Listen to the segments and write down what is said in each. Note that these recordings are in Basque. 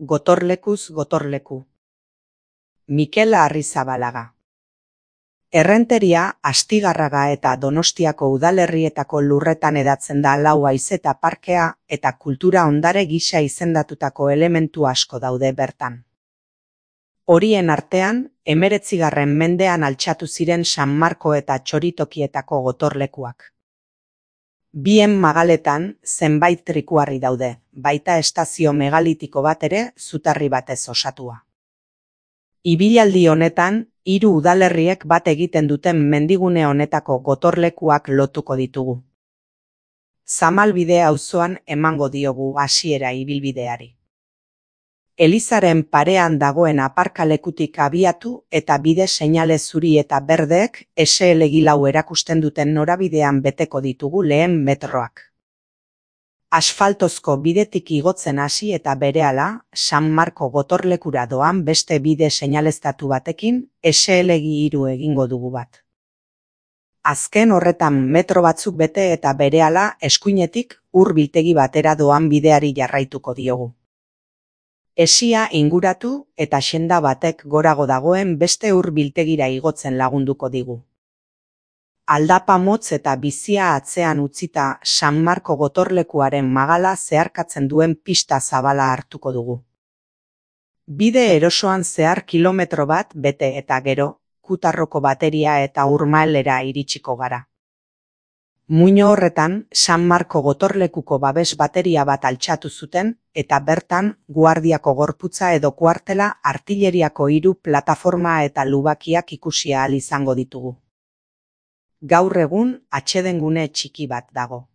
Gotorlekuz gotorleku. Mikel Arrizabalaga. Errenteria, Astigarraga eta Donostiako udalerrietako lurretan hedatzen da lau haizeta parkea eta kultura ondare gisa izendatutako elementu asko daude bertan. Horien artean, 19. mendean altxatu ziren San Marko eta Txoritokietako gotorlekuak. Bien magaletan zenbait trikuharri daude, baita estazio megalitiko bat ere zutarri batez osatua. Ibilaldi honetan, 3 udalerriek bat egiten duten mendigune honetako gotorlekuak lotuko ditugu. Zamalbide auzoan emango diogu hasiera ibilbideari. Elizaren parean dagoen aparkalekutik abiatu eta bide seinale zuri eta berdeek SL4 erakusten duten norabidean beteko ditugu lehen metroak. Asfaltozko bidetik igotzen hasi eta berehala, San Marko gotorlekura doan beste bide seinaleztatu batekin SL3 egingo dugu bat. Azken horretan metro batzuk bete eta berehala eskuinetik biltegi batera doan bideari jarraituko diogu. Esia inguratu eta senda batek gorago dagoen beste biltegira igotzen lagunduko digu. Aldapa motz eta bizia atzean utzita San Marko gotorlekuaren magala zeharkatzen duen pista zabala hartuko dugu. Bide erosoan zehar kilometro bat bete eta gero, Kutarroko bateria eta Urmaelera iritsiko gara. Muino horretan, San Marko gotorlekuko babes bateria bat altxatu zuten eta bertan guardiako gorputza edo kuartela artilleriako 3 plataforma eta lubakiak ikusi ahal izango ditugu. Gaur egun atsedengune txiki bat dago.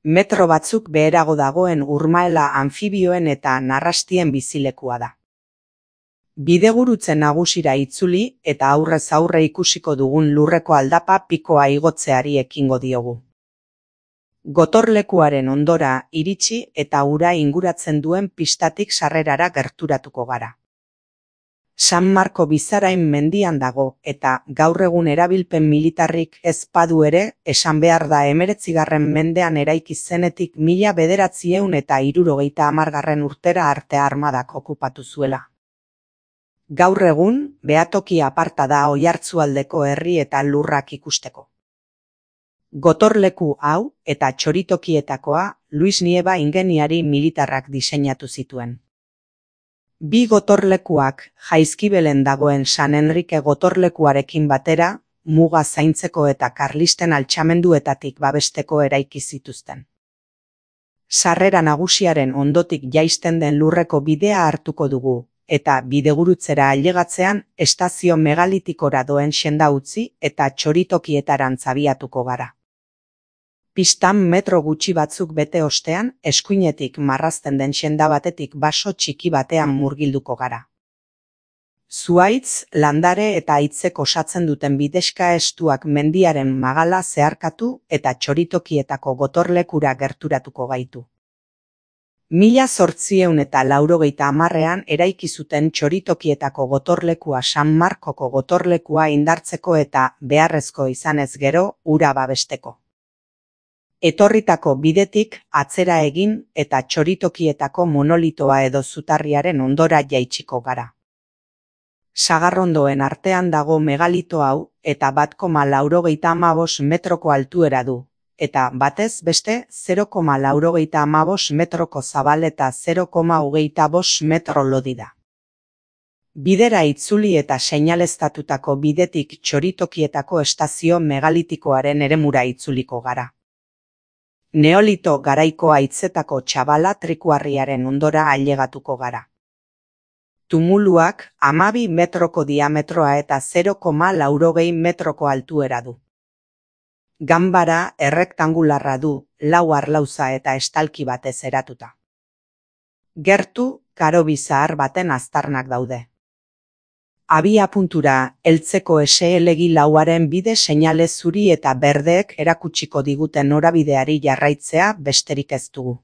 Metro batzuk beherago dagoen Urmaela anfibioen eta narrastien bizilekua da. Bidegurutze nagusira itzuli eta aurrez aurre ikusiko dugun lurreko aldapa pikoa igotzeari ekingo diogu. Gotorlekuaren ondora iritsi eta ura inguratzen duen pistatik sarrerara gerturatuko gara. San Marko Bizarain mendian dago eta gaur egun erabilpen militarrik ez badu ere esan behar da 19. mendean eraiki zenetik 1970 urtera arte armadak okupatu zuela. Gaur egun, behatoki aparta da Oiartzualdeko herri eta lurrak ikusteko. Gotorleku hau eta Txoritokietakoa Luis Nieva ingeniari militarrak diseinatu zituen. 2 gotorlekuak Jaizkibelen dagoen San Enrique gotorlekuarekin batera, muga zaintzeko eta karlisten altxamenduetatik babesteko eraiki zituzten. Sarrera nagusiaren ondotik jaisten den lurreko bidea hartuko dugu, eta bidegurutzera ailegatzean estazio megalitikora doen senda utzi eta Txoritokietarantz abiatuko gara. Pistan metro gutxi batzuk bete ostean, eskuinetik marrazten den senda batetik baso txiki batean murgilduko gara. Zuhaitz, landare eta haitzek osatzen duten bidexka estuak mendiaren magala zeharkatu eta Txoritokietako gotorlekura gerturatuko gaitu. 1890ean eraiki zuten Txoritokietako gotorlekua San Markoko gotorlekua indartzeko eta beharrezko izanez gero ura babesteko. Etorritako bidetik atzera egin eta Txoritokietako monolitoa edo zutarriaren ondora jaitsiko gara. Sagarrondoen artean dago megalito hau eta 1,95 metroko altuera du. Eta batez beste 0,95 metroko zabal eta 0,25 metro lodi da. Bidera itzuli eta seinaleztatutako bidetik Txoritokietako estazio megalitikoaren eremura itzuliko gara. Neolito garaiko haitzetako txabala trikuharriaren ondora ailegatuko gara. Tumuluak 12 metroko diametroa eta 0,80 metroko altuera du. Ganbara errektangularra du, 4 arlauza eta estalki batez eratuta. Gertu, karobi zahar baten aztarnak daude. Abiapuntura heltzeko SL4aren bide seinale zuri eta berdeek erakutsiko diguten norabideari jarraitzea besterik ez dugu.